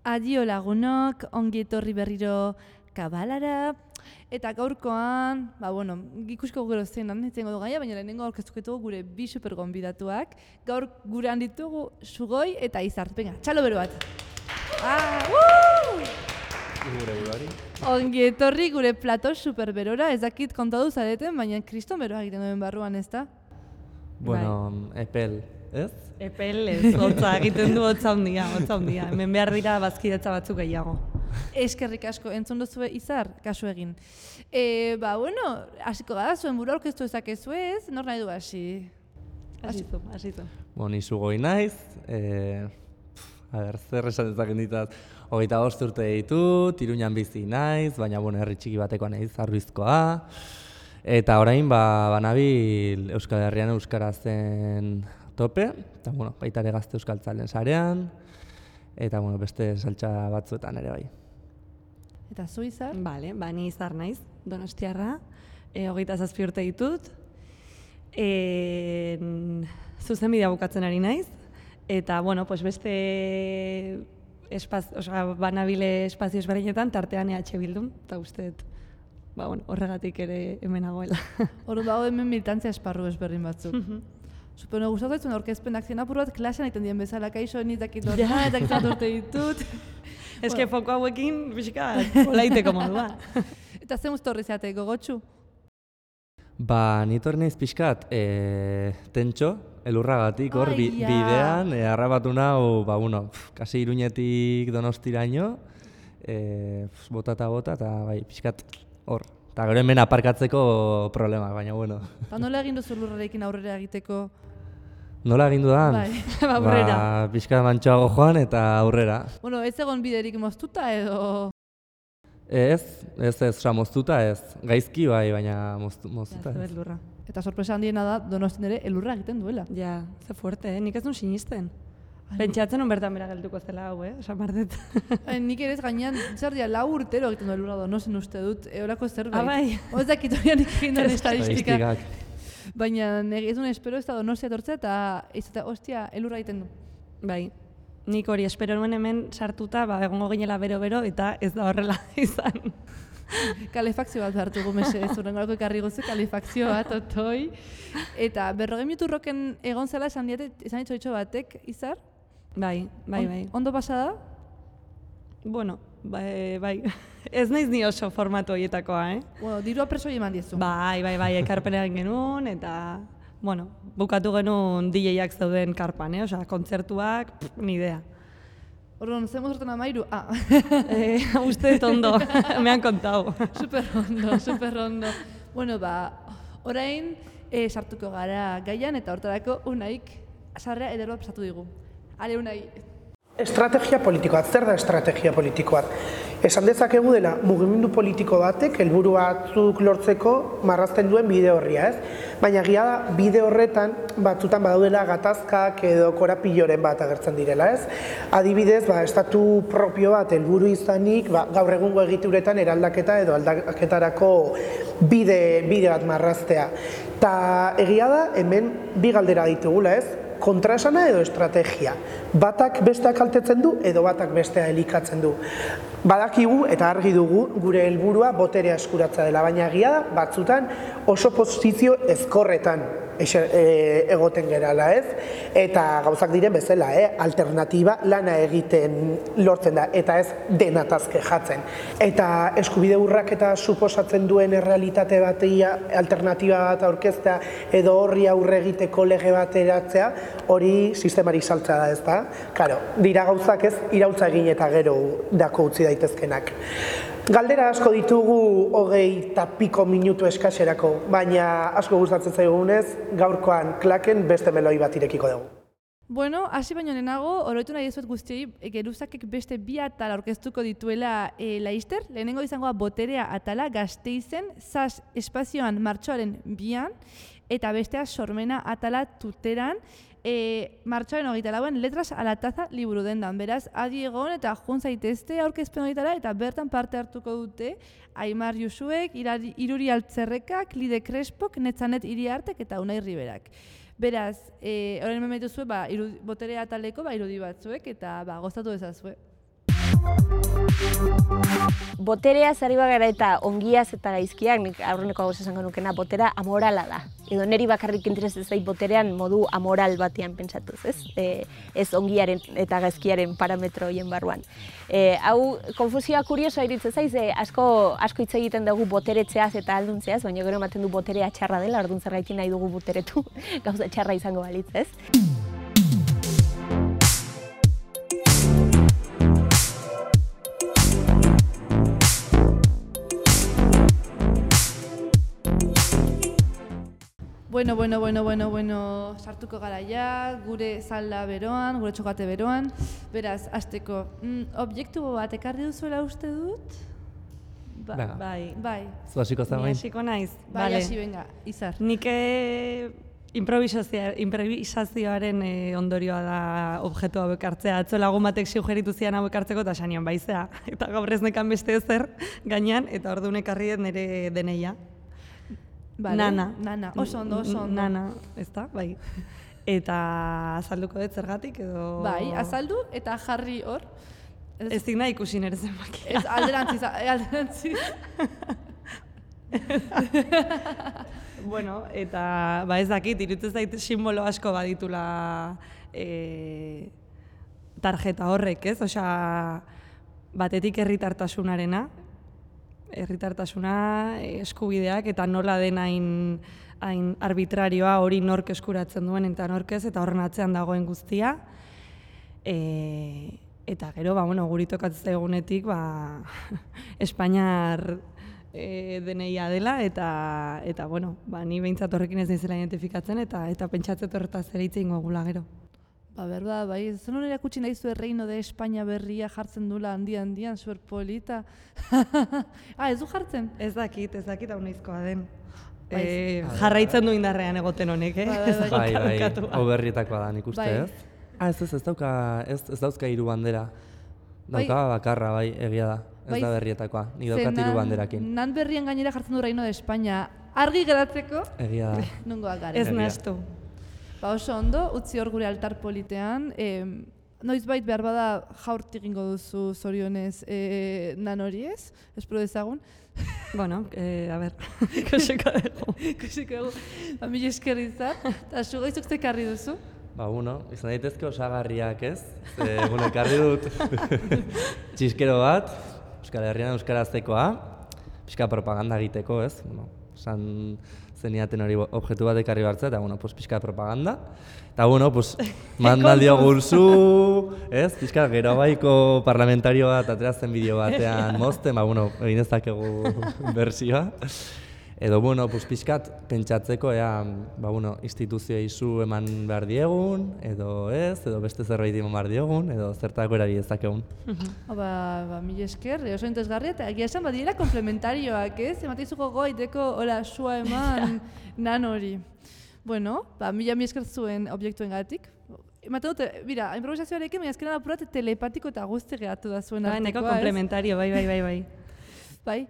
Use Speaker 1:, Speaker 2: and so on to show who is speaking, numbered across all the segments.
Speaker 1: Adio lagunok, ongi etorri berriro kabalara. Eta gaurkoan, ikusko gero zein hitzengo du gaia, baina lehenengo aurkeztuko ditugu gure bi supergonbidatuak. Gaur gurean ditugu Sugoi eta Izar. Venga, txalo bero bat. Ongi etorri gure plato superberora, ez dakit kontatu zareten, baina kriston beroa egiten duen barruan, ez da?
Speaker 2: Bueno, epel, ez?
Speaker 3: Epel ez, hotza egiten du hotza handia. Hemen behar dira bazkidetza batzuk gehiago.
Speaker 1: Eskerrik asko, entzun duzue Izar, kasu egin. Hasiko gara, zuen buru aurkeztu ezakezu ez, nor nahi du hasi?
Speaker 3: Hasitu.
Speaker 2: Ni Sugoi naiz, zer esan dezaken ditaz, 25 urte ditut, Iruñan bizi naiz, baina herri txiki batekoa naiz, Arruizkoa. Eta orain, banabil Euskal Herrian euskarazen tope, eta baita ere Gazte Euskaltzalen sarean, eta beste saltsa batzuetan ere bai.
Speaker 1: Eta zu Izar?
Speaker 3: Bale, ni Izar naiz, Donostiarra, 27 urte ditut, zuzenbidea bukatzen ari naiz, eta beste banabile espazio ezberdinetan tartean EH Bildun, eta usteet horregatik ere hemen nagoela.
Speaker 1: Hor dago hemen militantzia esparru ezberdin batzuk. Supone gustatu zaitzuen aurkezpenak zien apur bat klasean egiten dien bezala, kaixo nitakit horrela, eta gizat urte ditut.
Speaker 3: Ez que foko hauekin, bizika, olaiteko modua.
Speaker 1: Eta zen uste horri zeate, gogotxu?
Speaker 2: Ni torri naiz pixkat, tentxo, elurragatik, hor bidean, harrapatu nahu, kasi Iruñetik Donostiraino, bota eta pixkat hor. Eta gero hemen aparkatzeko problema, baina
Speaker 1: Eta nola egin duzu lurrarekin aurrera egiteko?
Speaker 2: Nola egin dudan?
Speaker 1: Aurrera.
Speaker 2: Pixka mantxoago joan eta aurrera.
Speaker 1: Ez egon biderik moztuta edo?
Speaker 2: Ez, moztuta ez. Gaizki baina moztuta ez.
Speaker 1: Eta sorpresa handiena da, Donostin ere elurra egiten duela.
Speaker 3: Ja, ze fuerte, nik ez duen sinisten. Pentsatzen bertan bera geltuko zela hau, esan bardet.
Speaker 1: Nik ere ez gainean, zardia 4 urtero egiten du elurra Donostin uste dut, eurako zerbait.
Speaker 3: Bai.
Speaker 1: Ez dakit horian egin duen estadistika.
Speaker 2: Estadistikak.
Speaker 1: Baina ez duen espero ez da Donostia etortzea eta ostia, elurra egiten du.
Speaker 3: Bai, nik hori espero nuen hemen sartuta, egongo ginela bero-bero eta ez da horrela izan.
Speaker 1: Kalefakzio bat behartugu mesedez, urrengorako ekarri gozu kalefakzio bat, otoi. Eta 40 minutu roken egon zela esan ditxo batek, Izar?
Speaker 3: Bai.
Speaker 1: Ondo pasada?
Speaker 3: Bai. Ez naiz ni oso formatu horietakoa,
Speaker 1: Dirua presoi eman diezu.
Speaker 3: Bai, ekarpena egin genuen, eta, bukatu genuen DJ-ak zeuden karpan, kontzertuak, ni idea.
Speaker 1: Orduan, zen mozortan amairu?
Speaker 3: Uste dut ondo, me han kontau.
Speaker 1: Super ondo. Orain, sartuko gara gaian, eta hortarako Unaik sarrea ederoa pasatu digu. Ale, Unai.
Speaker 4: Estrategia politikoa, zer da estrategia politikoa? Esan dezakegu dela mugimendu politiko batek helburu batzuk lortzeko marrazten duen bide horria, ez? Baina egia da bide horretan batzutan badaudela gatazkak edo korapilloren bat agertzen direla, ez? Adibidez, estatu propio bat helburu izanik, gaur egungo egituretan eraldaketa edo aldaketarako bide bat marraztea. Ta egia da hemen bi galdera ditugula, ez? Kontraesana edo estrategia. Batak bestea kaltetzen du edo batak bestea elikatzen du. Badakigu eta argi dugu gure helburua boterea eskuratzea dela, baina egia da batzutan oso posizio ezkorretan egoten gerala, ez? Eta gauzak diren bezala, alternatiba lana egiten lortzen da, eta ez denatazke jatzen. Eta eskubide urraketa suposatzen duen errealitate batia alternatiba bat aurkeztea edo horri aurre egiteko lege bat eratzea, hori sistemari saltzea da, ez da? Karo, dira gauzak ez iraultza egin eta gero dako utzi daitezkenak. Galdera asko ditugu 20 eta piko minutu eskaserako, baina asko gustatzen zaigunez, gaurkoan klaken beste meloi bat irekiko dugu.
Speaker 1: Hasi baino lehenago, oroitu nahi ezuet guztioi, Geruzakek beste 2 atal aurkeztuko dituela laizter. Lehenengo izangoa boterea atala Gasteizen, ZAS espazioan martxoaren 2an, eta bestea sormena atala Tuteran, martxoaren 24an letras a la taza liburu dendan. Beraz, adi egon eta jun zaitezte aurkezpen horietara eta bertan parte hartuko dute Aimar Josuek, Iruri Altzerrekak, Lide Crespok, Netzanet Iriartek eta Unai Riberak. Beraz, orain hemen dituzue boterea ataleko irudi batzuek eta gozatu ezazue.
Speaker 5: Boterea zari bagara eta ongiaz eta gaizkiak, nik aurreneko hau esango nukena, botera amorala da. Edo niri bakarrik interesez zait boterean modu amoral batean pentsatuz, ez? Ez ongiaren eta gaizkiaren parametro horien barruan. Hau, konfusioa kuriosoa iruditzen zaiz, asko hitz egiten dugu boteretzeaz eta alduntzeaz, baina gero ematen du boterea txarra dela, orduan zergaitik nahi dugu boteretu, gauza txarra izango balitz, ez?
Speaker 1: Bueno, sartuko gara ja, gure zalda beroan, gure txokate beroan. Beraz, hasteko, objektu bat ekarri duzuela uste dut?
Speaker 3: Bai.
Speaker 2: Zu hasiko zen
Speaker 3: Ni hasiko naiz.
Speaker 1: Bai, hasi benga, Izar.
Speaker 3: Nik improvisazioaren ondorioa da objektu hauek hartzea. Atzo lagun batek sugeritu zian hauek hartzeko eta sanian baizea. Eta gaur ez nekan beste ezer gainean, eta orduan ekarri dut nire deneia.
Speaker 1: Vale. Nana, oso ondo.
Speaker 3: Nana, ez da, bai. Eta azalduko dut zergatik edo...
Speaker 1: Bai, azaldu eta jarri hor.
Speaker 3: Ez digna ikusi nire zenbakia.
Speaker 1: Ez alderantziz.
Speaker 3: Bueno, eta ez dakit, iruditzen zait simbolo asko baditula tarjeta horrek, ez? Osea, batetik herritartasunarena, eskubideak eta nola den hain arbitrarioa hori nork eskuratzen duen eta nork ez, eta horren atzean dagoen guztia. Eta gero, guri tokatzen zaigunetik, Espainiar deneia dela, eta ni behintzat horrekin ez nizela identifikatzen, eta pentsatzen horretaz ere hitz egingo gula gero.
Speaker 1: Berda, bai, zen hori erakutsi nahi zuen Reino de Espainia berria jartzen dula handian, zuer polita. Ez du jartzen?
Speaker 3: Ez dakit, hau noizkoa den. Jarraitzen du indarrean egoten honek,
Speaker 2: Bai, hau berrietakoa da nik uste, ez? Ez dauzka 3 bandera. Dauka bakarra, bai, egia da. Ez da berrietakoa, nik daukat 3 banderakin.
Speaker 1: Nan berrien gainera jartzen du Reino de Espainia. Argi geratzeko?
Speaker 2: Egia da.
Speaker 1: Nungoak garen.
Speaker 3: Ez nahaztu.
Speaker 1: Oso ondo, utzi hor gure altar politean. Noizbait behar bada jaurti egingo duzu zorionez nan hori ez? Espero dezagun.
Speaker 3: Bueno, a ber, ikusiko dugu.
Speaker 1: Mila esker izan, eta zu gaizuk zekarri duzu?
Speaker 2: Izan daitezke osagarriak ez? Ekarri dut txiskero bat, Euskal Herrian euskaraztekoa, pixka propaganda egiteko ez? Esan zeniaten hori objektu bat ekarri bartzea, eta pixka propaganda. Eta mandaldio gulzu, ez? Pixka gero baiko parlamentario bat ateratzen bideo batean mozten, egin ezakegu bersioa. Edo, pixkat pentsatzeko, instituzioa izu eman behar diegun, edo ez, edo beste zerbait eman behar diegun, edo zertako erari ezakegun.
Speaker 1: Mila esker, oso interesgarria, eta egia esan badiela komplementarioak, ez? Emateizuko goiteko, sua eman nan hori. Mila esker zuen objektuen gatik. Ematen dute, bira, improvisazioarekin, baina ezkeran apurat telepatiko eta guzti gehatu da zuen artekoa, ez?
Speaker 3: Neko komplementario, bai.
Speaker 1: Bai,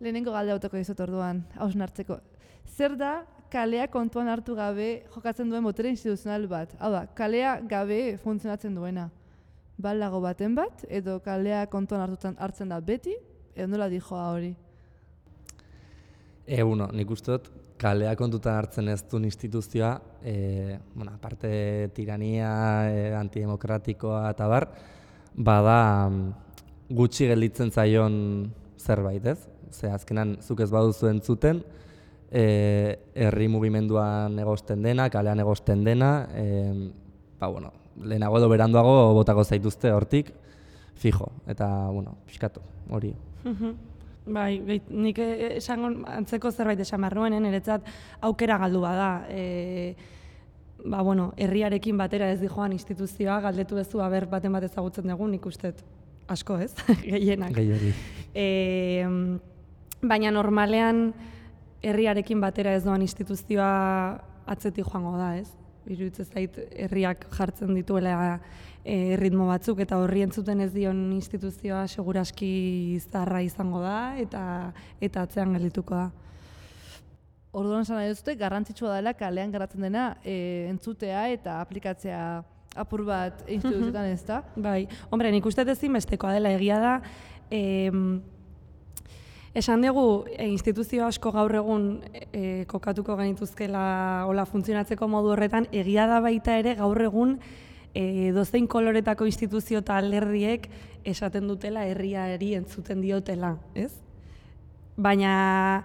Speaker 1: lehenengo galde autoko dizut orduan, hausnartzeko. Zer da kalea kontuan hartu gabe jokatzen duen botere instituzional bat? Hau da, kalea gabe funtzionatzen duena. Balago baten bat, edo kalea kontuan hartzen da beti, edo nola dijoa hori?
Speaker 2: Nik uste dut, kalea kontutan hartzen ez duen instituzioa, aparte tirania, antidemokratikoa eta bar, bada gutxi gelditzen zaion zerbait, ez? Azkenan, zuk ez baduzu entzuten, herri mugimenduan egosten dena, kalean egosten dena, lehenago edo beranduago botako zaituzte hortik, fijo, eta, pixkatu, hori.
Speaker 3: Bai, nik esango antzeko zerbait esan behar nuen, niretzat aukera galdu bada. Herriarekin batera ez dijoan instituzioa, galdetu bezu aber baten bat ezagutzen dugu, nik uste asko ez, gehienak.
Speaker 2: Gehiori.
Speaker 3: Baina normalean herriarekin batera ez doan instituzioa atzetik joango da, ez? Iruditzen zait herriak jartzen dituela ritmo batzuk eta horri entzuten ez dion instituzioa seguraski zaharra izango da eta atzean geldituko da.
Speaker 1: Orduan esan nahi duzute, garrantzitsua dela kalean garatzen dena entzutea eta aplikatzea apur bat instituzioetan ez da.
Speaker 3: Bai, hombre, nik uste ezinbestekoa dela egia da, esan dugu, instituzio asko gaur egun kokatuko genituzkela hola funtzionatzeko modu horretan, egia da baita ere gaur egun dozein koloretako instituzio eta alderdiek esaten dutela herriari entzuten diotela, ez? Baina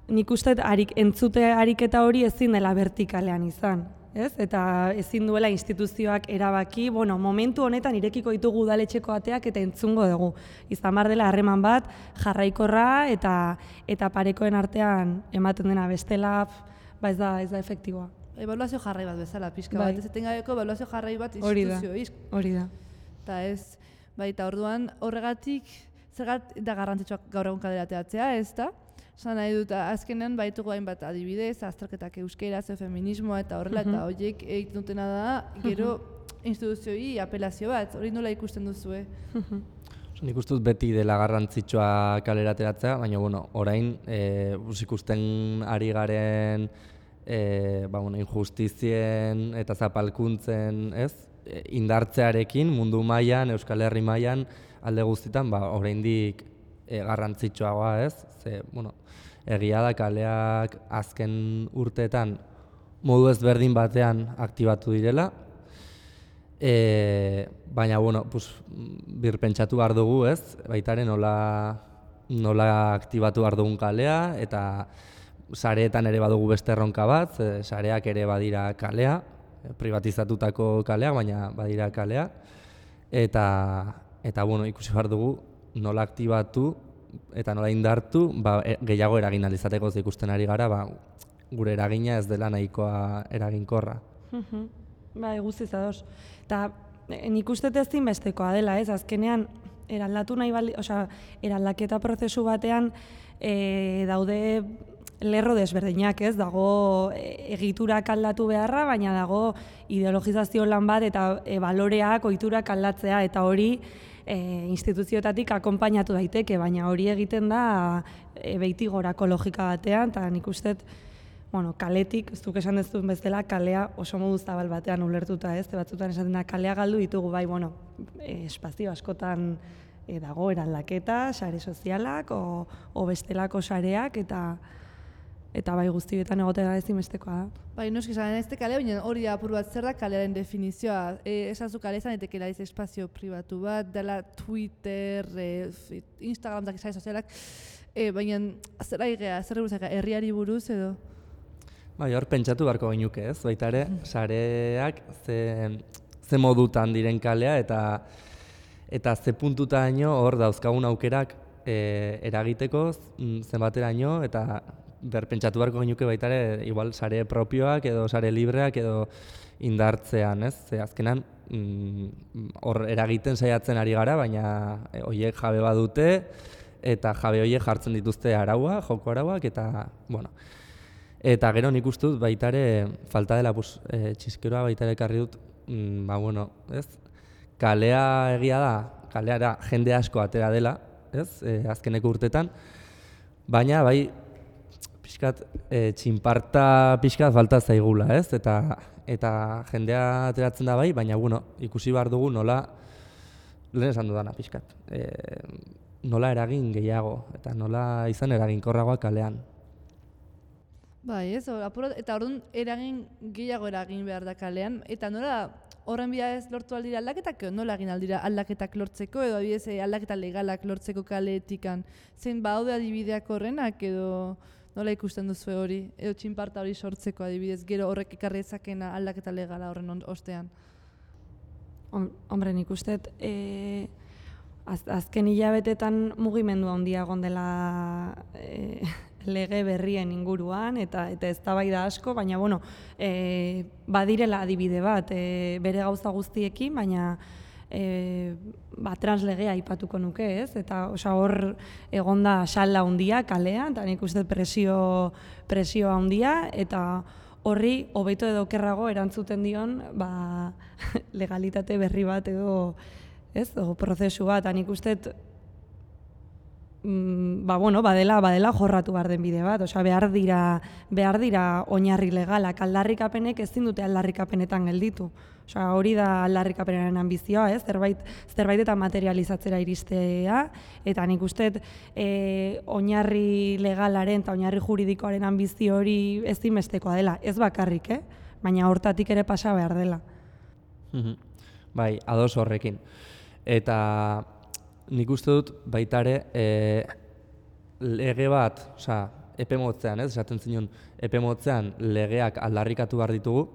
Speaker 3: nik uste entzute ariketa hori ezin dela vertikalean izan, ez? Eta ezin duela instituzioak erabaki, bueno, momentu honetan irekiko ditugu udaletxeko ateak eta entzungo dugu. Izan bar dela harreman bat, jarraikorra eta parekoen artean ematen dena bestela, ez da efektiboa.
Speaker 1: Ebaluazio jarrai bat bezala, pixka bat, ez etengabeko ebaluazio jarrai bat instituzioa.
Speaker 3: Hori da.
Speaker 1: Eta ez, baita orduan horregatik, zergat da garrantzitsuak gaur egun kaleratzea, ez da? Esan nahi dut, azkenean baitugu hainbat adibidez, azterketak euskeraz, feminismoa eta horrela, eta horiek egiten dutena da, gero instituzioi apelazio bat, hori nola ikusten duzue?
Speaker 2: Nik uste dut beti dela garrantzitsua kalerateratzea, baina orain ikusten ari garen injustizien eta zapalkuntzen, indartzearekin mundu mailan, Euskal Herri mailan alde guztietan oraindik garrantzitsuagoa, ze egia da kaleak azken urteetan modu ezberdin batean aktibatu direla, baina birpentsatu behar dugu, baita ere nola aktibatu behar dugun kalea, eta sareetan ere badugu beste erronka bat, sareak ere badira kalea, privatizatutako kalea, baina badira kalea, eta ikusi behar dugu nola aktibatu eta nola indartu gehiago eragin ahal izateko ikusten ari gara, gure eragina ez dela nahikoa eraginkorra.
Speaker 3: Bai, guztiz ados. Eta nik uste ezinbestekoa dela, azkenean eraldatu nahi eraldaketa prozesu batean daude lerro desberdinak, dago egiturak aldatu beharra, baina dago ideologizazio lan bat eta baloreak, ohiturak aldatzea, eta hori instituzioetatik akonpainatu daiteke, baina hori egiten da beitigorako logika batean, eta nik uste, kaletik, ez duk esan dezun bezala, kalea oso modu zabal batean ulertuta, batzutan esaten da, kalea galdu ditugu, bai, espazio askotan dago eraldaketa, sare sozialak, o bestelako sareak, eta bai guztietan egotea ezinbestekoa da.
Speaker 1: Bai, noski esan ez kale, baina hori apur bat zer da kalearen definizioa. Esazu kale izan etekela espazio pribatu bat, dela Twitter, Instagram, sare sozialak, baina zer aigea, zer buruzak, herriari buruz edo?
Speaker 2: Bai, hor pentsatu beharko gainuke, baita ere, sareak ze modutan diren kalea eta ze puntutaino hor dauzkagun aukerak eragiteko zenbateraino, eta berpentsatu beharko genuke baita ere, igual sare propioak edo sare libreak edo indartzean, Ze azkenan hor eragiten saiatzen ari gara, baina horiek jabe badute eta jabe horiek jartzen dituzte araua, joko arauak, eta gero nik uste dut baita ere falta dela txiskeroa baita ere ekarri dut, kalea egia da, kaleara jende asko atera dela, azkeneko urtetan, baina bai pixkat txinparta pixkat falta zaigula, eta jendea ateratzen da bai, baina ikusi behar dugu nola, lehen esan dudana pixkat, nola eragin gehiago, eta nola izan eraginkorragoa kalean.
Speaker 1: Bai, eta orduan eragin gehiago eragin behar da kalean, eta nola horren bidez lortu aldira aldaketak, nola egin aldira aldaketak lortzeko, edo adibidez aldaketa legalak lortzeko kaleetikan, zein baude adibideak horrenak, edo nola ikusten duzu hori, edo txinparta hori sortzeko adibidez, gero horrek ekarri ezakena aldaketa legala horren ostean?
Speaker 3: Hombre, nik uste, azken hilabetetan mugimendu handia egon dela lege berrien inguruan, eta eztabaida asko, baina, badirela adibide bat, bere gauza guztiekin, baina translegea aipatuko nuke, eta hor egonda salda handia kalean, eta nik uste presio handia, eta horri hobeto edo okerrago erantzuten dion legalitate berri bat edo prozesu bat, nik uste badela jorratu behar den bide bat, osea, behar dira oinarri legalak, aldarrikapenek ezin dute aldarrikapenetan gelditu. Osea, hori da aldarrikapenaren ambizioa, zerbait eta materializatzera iristea, eta nik uste oinarri legalaren eta oinarri juridikoaren ambizio hori ezinbestekoa dela, ez bakarrik, baina hortatik ere pasa behar dela.
Speaker 2: Bai, ados horrekin. Eta nik uste dut baita ere lege bat, epe motzean, esaten zinun, epe motzean legeak aldarrikatu behar ditugu,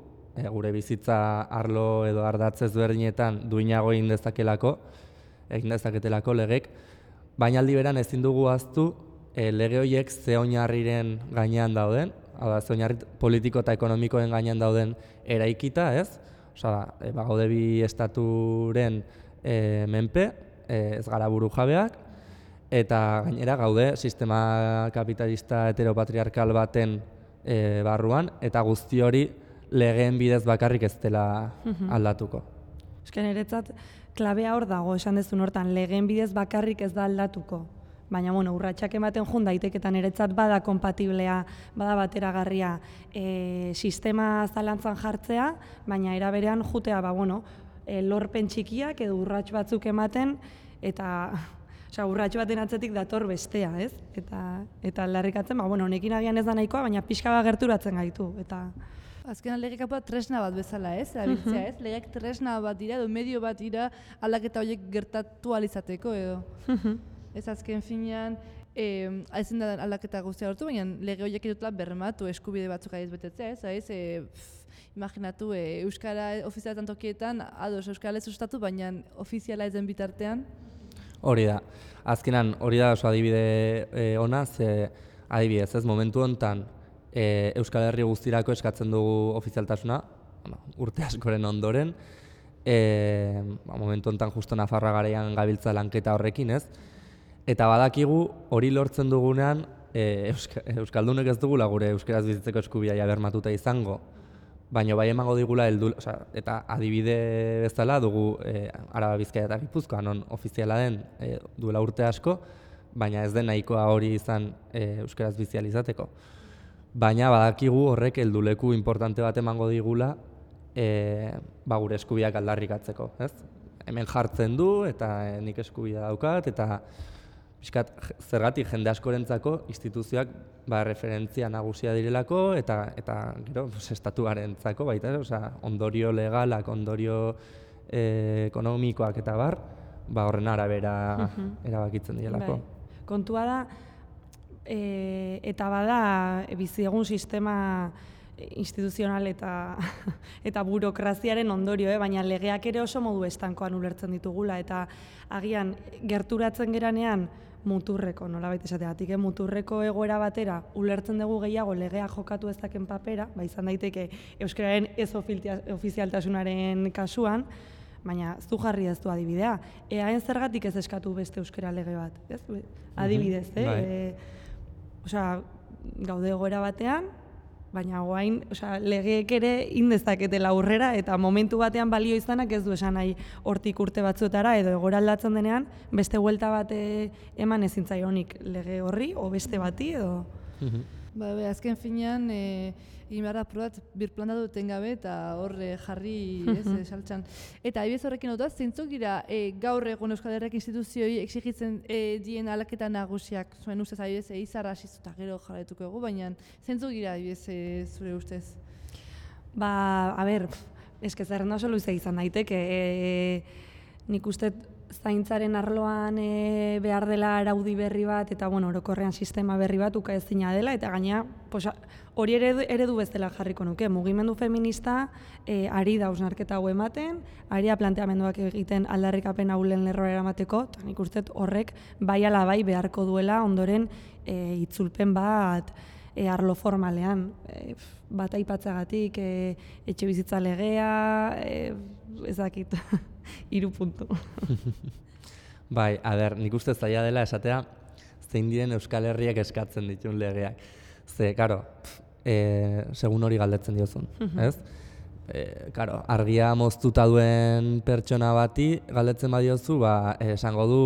Speaker 2: gure bizitza arlo edo ardatz ezberdinetan duinago egin dezaketelako legek, baina aldi beran ezin dugu ahaztu lege horiek ze oinarriren gainean dauden, ze oinarri politiko eta ekonomikoen gainean dauden eraikita, ez? Gaude bi estaturen menpe, ez gara burujabeak, eta gainera gaude sistema kapitalista heteropatriarkal baten barruan, eta guzti hori legeen bidez bakarrik ez dela aldatuko.
Speaker 3: Esken niretzat, klabea hor dago, esan dezun hortan, legeen bidez bakarrik ez da aldatuko. Baina, urratsak ematen jun daiteketan niretzat bada kompatiblea, bada bateragarria sistema zalantzan jartzea, baina era berean jutea, lorpen txikiak edo urrats batzuk ematen, eta urrats baten atzetik dator bestea, ez? Eta aldarrikatzen, honekin agian ez da nahikoa, baina pixka bat gerturatzen gaitu.
Speaker 1: Azkenan legek tresna bat bezala, ez? Abiltzea, ez? Legek tresna bat dira, edo medio bat dira aldaketa horiek gertatu alizateko, edo. Ez azken finean, ezin da aldaketa guztia hortu, baina lege horiek edutela bermatu eskubide batzuk adiz betetzea, ez? Imaginatu, euskara ofizialetan tokietan, ados, euskara ez sustatu, baina ofiziala ez den bitartean.
Speaker 2: Hori da. Azkenan, hori da oso adibide ona, adibidez, ez momentu honetan, Euskal Herri guztirako eskatzen dugu ofizialtasuna, urte askoren ondoren, momentu honetan justo Nafarroa garaian gabiltza lanketa horrekin, ez? Eta badakigu hori lortzen dugunean, Euskaldunek ez dugula gure euskaraz bizitzeko eskubidea bermatuta izango, baina bai emango digula eta adibide bezala dugu Araba, Bizkaia eta Gipuzkoa, non ofiziala den duela urte asko, baina ez den nahikoa hori izan euskaraz bizializateko. Baina badakigu horrek helduleku importante bat emango digula gure eskubideak aldarrikatzeko, ez? Hemen jartzen du eta nik eskubidea daukat eta zergatik jende askorentzako instituzioak referentzia nagusia direlako eta gero estatuarentzako baita, ondorio legalak, ondorio ekonomikoak eta horren arabera erabakitzen direlako.
Speaker 3: Kontua da, eta bada bizi egun sistema instituzional eta burokraziaren ondorio, baina legeak ere oso modu estankoan ulertzen ditugula, eta agian gerturatzen geranean muturreko, nolabait esategatik, muturreko egoera batera ulertzen dugu gehiago legea jokatu ezaken papera, izan daiteke euskararen ez ofizialtasunaren kasuan, baina zu jarri ez du adibidea. Eaen zergatik ez eskatu beste euskara lege bat, ez? Adibidez, gaude egoera batean, baina guain, legeek ere indezaketela aurrera eta momentu batean balio izanak ez du esan nahi hortik urte batzuetara edo egoera aldatzen denean beste buelta bat eman ezin zaionik lege horri o beste bati edo.
Speaker 1: Azken finean, egin behar da probat birplantatu etengabe eta horre jarri saltxan. Eta adibidez horrekin dut, zeintzuk dira gaur egun Euskal Herriak instituzioi exigitzen dien aldaketa nagusiak, zuen ustez adibidez izarra hasiz eta gero jarraituko egu, baina zeintzuk dira adibidez zure ustez?
Speaker 3: Zerrenda oso luzea izan daiteke, nik uste zaintzaren arloan behar dela araudi berri bat eta orokorrean sistema berri bat ukaezina dela eta gaina hori eredu bezala jarriko nuke. Mugimendu feminista ari da hausnarketa hau ematen, ari da planteamenduak egiten aldarrikapen ahulen lerroa eramateko, eta nik uste horrek bai ala bai beharko duela ondoren itzulpen bat arlo formalean, bat aipatzagatik, etxe bizitza legea, ezakit, 3 puntu.
Speaker 2: Nik uste zaila dela esatea zein diren Euskal Herriak eskatzen dituen legeak. Ze, segun hori galdetzen diozun, ez? Argia moztuta duen pertsona bati galdetzen badiozu, esango du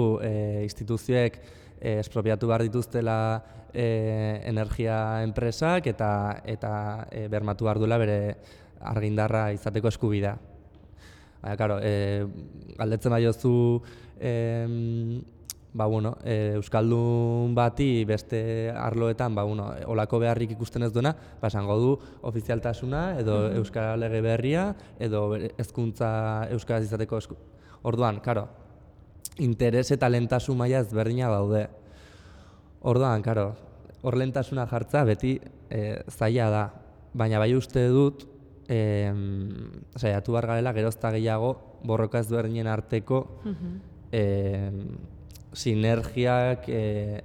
Speaker 2: instituzioek espropiatu behar dituztela energia enpresak eta bermatu behar duela bere argindarra izateko eskubidea. Baina, karo, galdetzen baiozu Euskaldun bati beste arloetan olako beharrik ikusten ez duena, esango du ofizialtasuna edo euskara lege berria edo hezkuntza euskaraz izateko Orduan, karo, interes eta lehentasun maila ezberdina daude. Orduan, karo, hor lehentasuna jartza beti zaila da, baina bai uste dut saiatu behar garela gerozta gehiago borroka ezberdinen arteko sinergiak,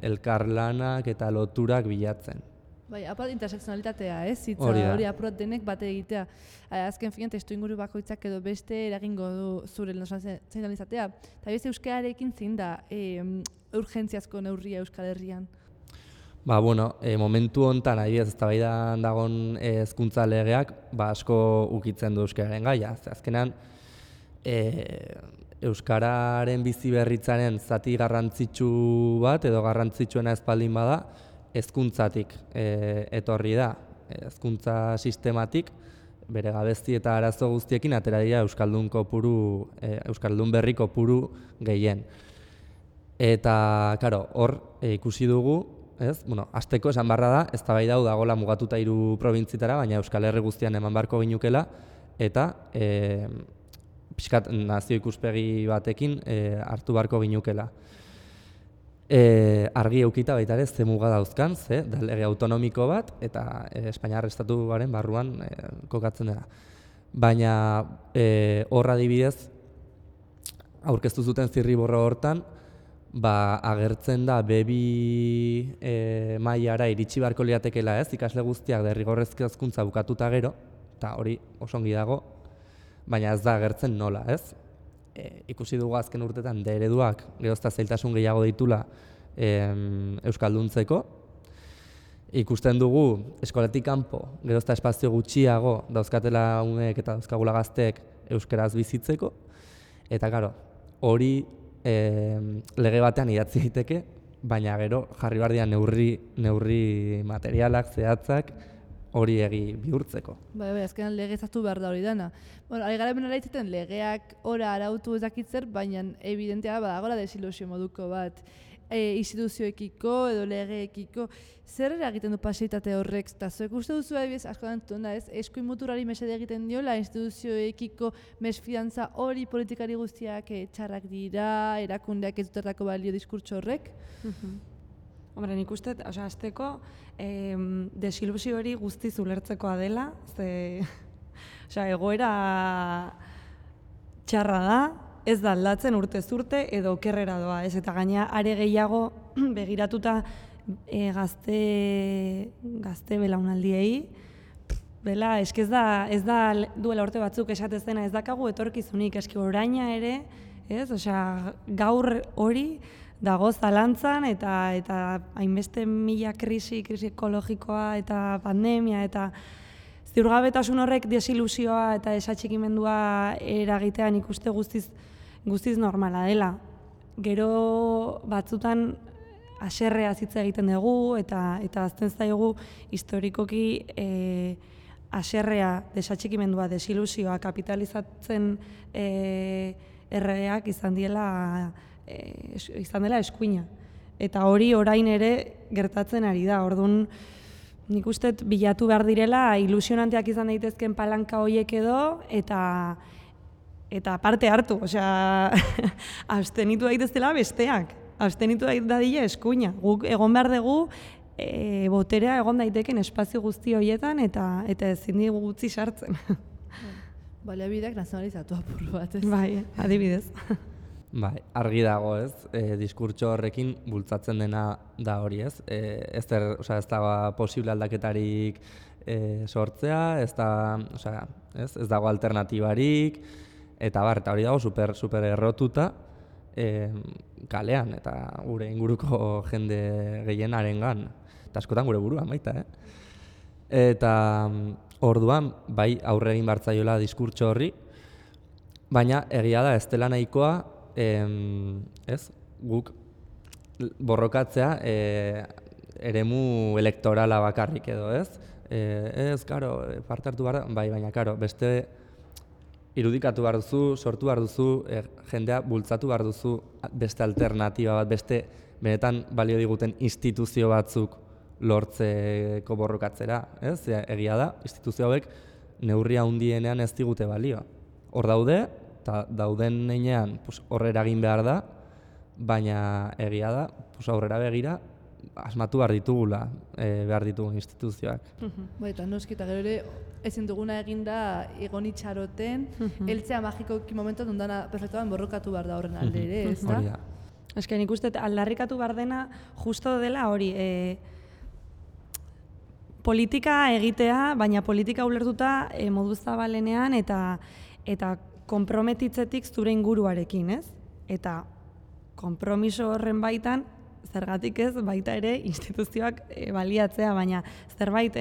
Speaker 2: elkarlanak eta loturak bilatzen.
Speaker 1: Bai, apart intersekzionalitatea, hori apurot denek bate egitea. Azken finean, testuinguru bakoitzak edo beste eragingo du zure zein izatea. Eta bez euskararekin zein da urgentziazko neurria Euskal Herrian?
Speaker 2: Momentu honetan, adibidez, eztabaidan dagon hezkuntza legeak, asko ukitzen du euskararen gaia. Azkenean, euskararen bizi berritzaren zati garrantzitsu bat edo garrantzitsuena espaldin bada, hezkuntzatik etorri da, hezkuntza sistematik, bere gabezi eta arazo guztiekin atera dira euskaldun berri kopuru gehien. Eta, karo, hor ikusi dugu, hasteko esan barra da, eztabaida hau dagoela mugatuta 3 probintzitara, baina Euskal Herri guztian eman beharko ginukela, eta pixkat nazio ikuspegi batekin hartu beharko ginukela. Argi eukita baita ere ze muga dauzkan, da lege autonomiko bat eta Espainiar estatuaren barruan kokatzen dela. Baina horra adibidez, aurkeztu zuten zirriborro hortan, agertzen da B2 mailara iritsi beharko liatekeela ikasle guztiak derrigorrezko hezkuntza bukatuta gero, eta hori oso ongi dago, baina ez da agertzen nola, ikusi dugu azken urtetan ereduak gerozta zailtasun gehiago ditula euskalduntzeko. Ikusten dugu eskolatik kanpo gerozta espazio gutxiago dauzkatela umeek eta dauzkagula gazteek euskaraz bizitzeko. Eta karo, hori lege batean idatzi daiteke, baina gero jarri behar dira neurri materialak, zehatzak, hori egi bihurtzeko.
Speaker 1: Bai, azkenan legezatu behar da hori dana. Ari gara hemen araitzaten legeak ora arautu ezakitzer, baina evidentea badagoela desilusio moduko bat instituzioekiko edo legeekiko. Zer eragiten du paseitate horrek? Eta zuek uste duzu adibidez asko dantzuten da, eskuin muturari mesede egiten diola instituzioekiko mesfidantza hori politikari guztiak txarrak dira, erakundeak ez dutertako balio diskurtso horrek?
Speaker 3: Hombre, nik uste, azteko, desilusio hori guztiz ulertzekoa dela, egoera txarra da, ez da aldatzen urtez urte edo okerrera doa, eta gaina are gehiago begiratuta gazte belaunaldiei, eski ez da duela urte batzuk esatez dena ez dakagu etorkizunik, eski oraina ere, gaur hori dago zalantzan eta hainbeste mila krisi ekologikoa eta pandemia eta ziurgabetasun horrek desilusioa eta desatxikimendua eragitean ikuste guztiz normala dela. Gero batzutan haserrea hitz egiten dugu eta azten zaigu historikoki haserrea, desatxikimendua, desilusioa kapitalizatzen erregeak izan dela eskuina. Eta hori orain ere gertatzen ari da. Orduan, nik uste bilatu behar direla ilusionanteak izan daitezken palanka horiek edo eta parte hartu. Abstenitu daitezela besteak. Abstenitu dadila eskuina. Guk egon behar dugu boterea egon daiteken espazio guzti horietan eta ezin digu gutxi sartzen.
Speaker 1: Baliabideak nazionalizatu apur bat, ez?
Speaker 3: Bai, adibidez.
Speaker 2: Bai, argi dago, ez? Diskurtso horrekin bultzatzen dena da hori, ez? Ez da posible aldaketarik sortzea, ez dago alternatibarik, eta hori dago super errotuta kalean, eta gure inguruko jende gehienarengan, eta askotan gure buruan baita, Eta orduan, bai aurre egin bartzaiola diskurtso horri, baina egia da ez dela nahikoa, guk borrokatzea eremu elektorala bakarrik edo, ez? Ez, karo, parte hartu behar da, bai, baina, karo, beste irudikatu behar duzu, sortu behar duzu, jendea bultzatu behar duzu beste alternatiba bat, beste benetan balio diguten instituzio batzuk lortzeko borrokatzera, ez? Egia da, instituzio hauek neurria handienean ez digute balio. Hor daude, eta dauden heinean hor eragin behar da, baina egia da, aurrera begira, asmatu behar ditugula, behar ditugun instituzioak.
Speaker 1: Eta noski, eta gero ere, ezin duguna eginda egon itxaroten, heltzea magikoki momentu dundana perfektuan borrokatu behar da horren alde ere, ez da?
Speaker 2: Hori da.
Speaker 3: Eske nik uste aldarrikatu behar dena justo dela hori, politika egitea, baina politika ulertuta modu zabalenean eta konprometitzetik zure inguruarekin, ez? Eta konpromiso horren baitan, zergatik ez, baita ere instituzioak baliatzea, baina zerbait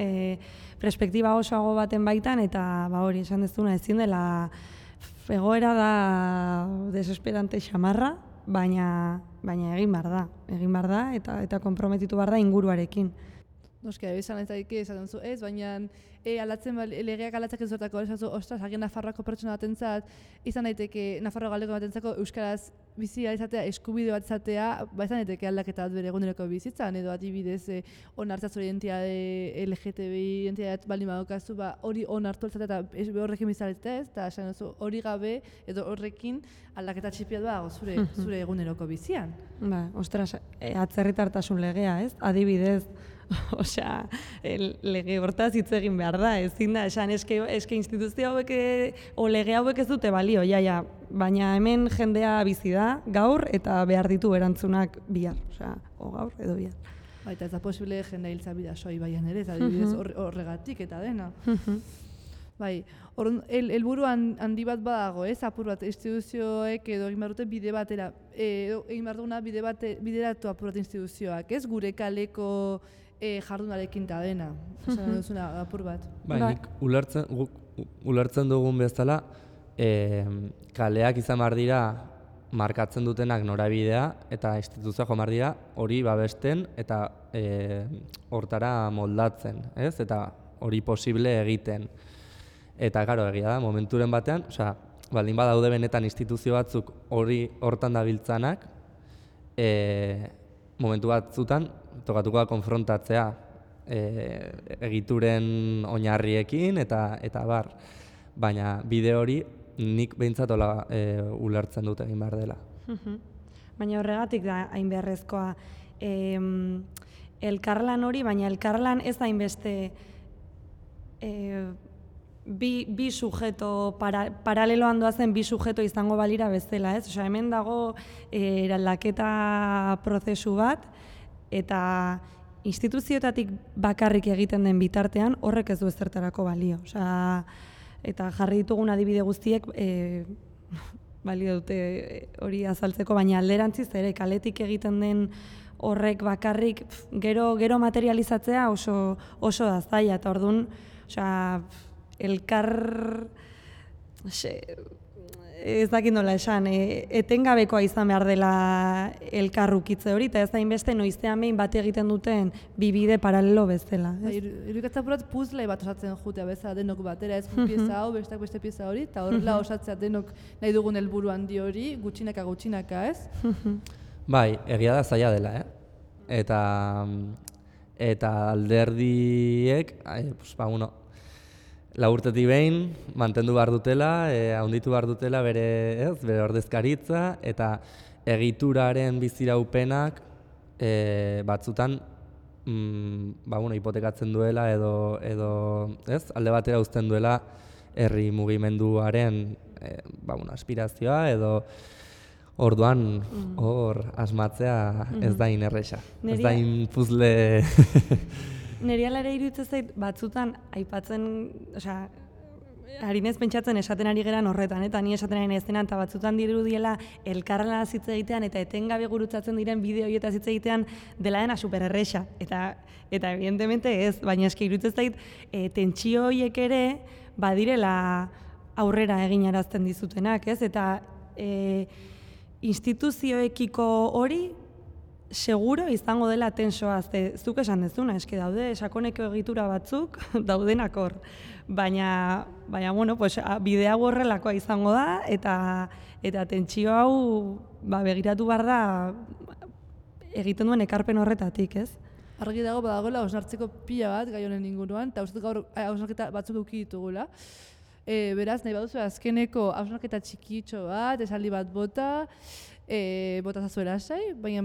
Speaker 3: perspektiba osoago baten baitan, eta hori esan dezuna ezin dela egoera da desesperante xamarra, baina egin behar da eta konprometitu behar da inguruarekin.
Speaker 1: Noski, esan ez daike, esaten zu ez, baina legeak alatzak ez duetako, ostras, hagen Nafarroako pertsona batentzat, izan daiteke Nafarro galdeko batentzako euskaraz bizia izatea, eskubide bat izatea, izan daiteke aldaketa bat bere eguneroko bizitzan, edo adibidez onartzat zure identitate LGTBI identitate baldin badokazu, hori onartu alzatea eta horrekin bizaletea ez, eta esan duzu hori gabe edo horrekin aldaketa txipiat dago zure eguneroko bizian.
Speaker 3: Ostras, atzerritartasun legea, ez? Adibidez, osea, lege hortaz hitz egin behar da, ezin da, esan eske instituzio hauek o lege hauek ez dute balio, baina hemen jendea bizi da gaur eta behar ditu erantzunak bihar, osea, o gaur edo bihar.
Speaker 1: Eta ez da posible jendea hiltza bidasoi baian ere, ez adibidez horregatik eta dena. Bai, helburu handi bat badago, ez, apur bat, instituzioek edo egin behar dute bide batera, egin behar duguna bideratu apur bat instituzioak, ez, gure kaleko jardunarekin eta dena, esan duzuna apur bat.
Speaker 2: Bai, nik ulertzen dugun bezala, kaleak izan behar dira markatzen dutenak norabidea eta instituzioak joan behar dira hori babesten eta hortara moldatzen, ez, eta hori posible egiten. Eta, karo, egia da, momenturen batean, baldin badaude benetan instituzio batzuk hortan dabiltzanak, momentu batzutan tokatuko da konfrontatzea egituren oinarriekin eta bar. Baina bide hori nik behintzat ulertzen dut egin behar dela.
Speaker 3: Baina horregatik da hain beharrezkoa elkarlan hori, baina elkarlan ez hainbeste bi sujeto, paraleloan doazen bi sujeto izango balira bezala, ez? Osea, hemen dago eraldaketa prozesu bat, eta instituzioetatik bakarrik egiten den bitartean horrek ez du ezertarako balio. Osea, eta jarri ditugun adibide guztiek balio dute hori azaltzeko, baina alderantziz ere kaletik egiten den horrek bakarrik gero materializatzea oso da zaila, eta orduan, osea, elkar ez dakit nola esan, etengabekoa izan behar dela elkarrukitze hori, eta ez hainbeste noizean behin bat egiten duten bibide paralelo bezala.
Speaker 1: Irudikatza purat puzle bat osatzen jutea bezala denok batera, ez pieza hau, bestak beste pieza hori, eta horrela osatzea denok nahi dugun helburu handi hori, gutxinaka, ez?
Speaker 2: Bai, egia da zaila dela, eta alderdiek, urtetik behin, mantendu behar dutela, handitu behar dutela bere ordezkaritza, eta egituraren biziraupenak batzutan hipotekatzen duela edo alde batera uzten duela herri mugimenduaren aspirazioa edo orduan hor asmatzea ez da inerresa, ez da puzle.
Speaker 3: Neri alare iruditzen zait batzutan aipatzen, harinez pentsatzen esaten ari geran horretan, eta ni esaten ari nahizenan, eta batzutan dirudiela elkarrela hitz egitean eta etengabe gurutzatzen diren bideo horietaz hitz egitean dela dena supererresa. Eta evidentemente ez, baina eski iruditzen zait tentsio horiek ere badirela aurrera eginarazten dizutenak, ez? Eta instituzioekiko hori seguro izango dela tensoa, zuk esan dezuna, eske daude sakoneko egitura batzuk daudenak hor. Baina bueno, pues, bidea horrelakoa izango da, eta tentsio hau begiratu behar da egiten duen ekarpen horretatik, ez?
Speaker 1: Argi dago badagoela hausnartzeko pila bat gai honen inguruan, eta uste gaur hausnarketa batzuk eduki ditugula. Beraz, nahi baduzu azkeneko hausnarketa txikitxo bat, esaldi bat bota zazuela sai, baina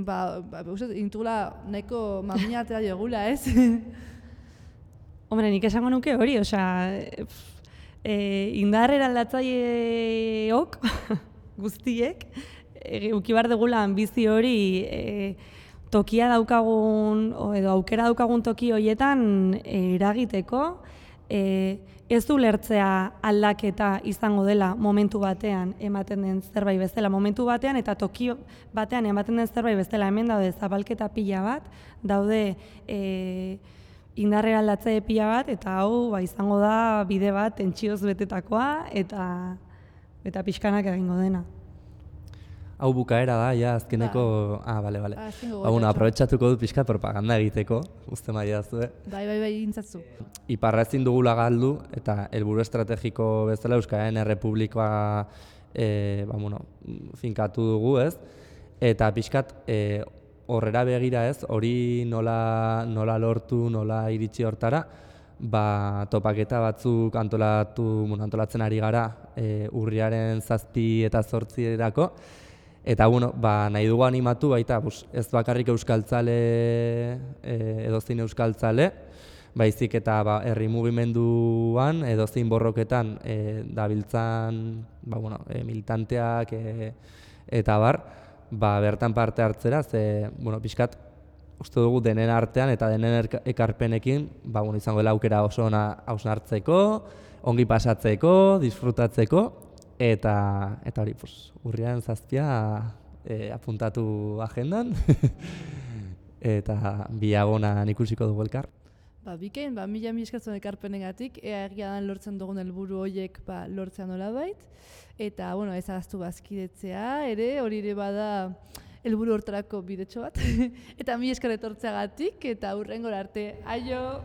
Speaker 1: uste intugula nahiko mamia atera diogula, ez?
Speaker 3: Hombre, nik esango nuke hori, indar eraldatzaileok guztiek, ukibar degula ambizi hori tokia daukagun, edo aukera daukagun toki horietan eragiteko, ez ulertzea aldaketa izango dela momentu batean ematen den zerbait bezala, momentu batean eta toki batean ematen den zerbait bezala, hemen daude zabalketa pila bat, daude indar eraldatzaile pila bat, eta hau izango da bide bat tentsioz betetakoa eta pixkanak egingo dena.
Speaker 2: Hau bukaera da, ja, azkeneko... bale. Aprobetxatuko dut pixkat propaganda egiteko, uste maia zuen.
Speaker 1: Bai, intzatzu.
Speaker 2: Iparra ezin dugula galdu, eta helburu estrategiko bezala Euskararen Errepublikoa finkatu dugu, ez? Eta pixkat horrera begira, ez? Hori nola lortu, nola iritsi hortara, topaketa batzuk antolatzen ari gara urriaren 7 eta 8 erako. Eta nahi dugu animatu baita, ez bakarrik euskaltzale, edozein euskaltzale, baizik eta herri mugimenduan, edozein borroketan dabiltzan militanteak eta bertan parte hartzera, pixkat uste dugu denen artean eta denen ekarpenekin izango dela aukera oso ona hausnartzeko, ongi pasatzeko, disfrutatzeko, eta hori, urriaren 7 apuntatu agendan, eta biagonan ikusiko dugu elkar.
Speaker 1: Bikain, mila eskatzen ekarpenengatik, egia dan lortzen dugun helburu horiek lortzea nolabait, eta ez ahaztu bazkidetzea, hori ere bada helburu hortarako bidetxo bat, eta mila esker etortzeagatik, eta hurrengora arte, aio!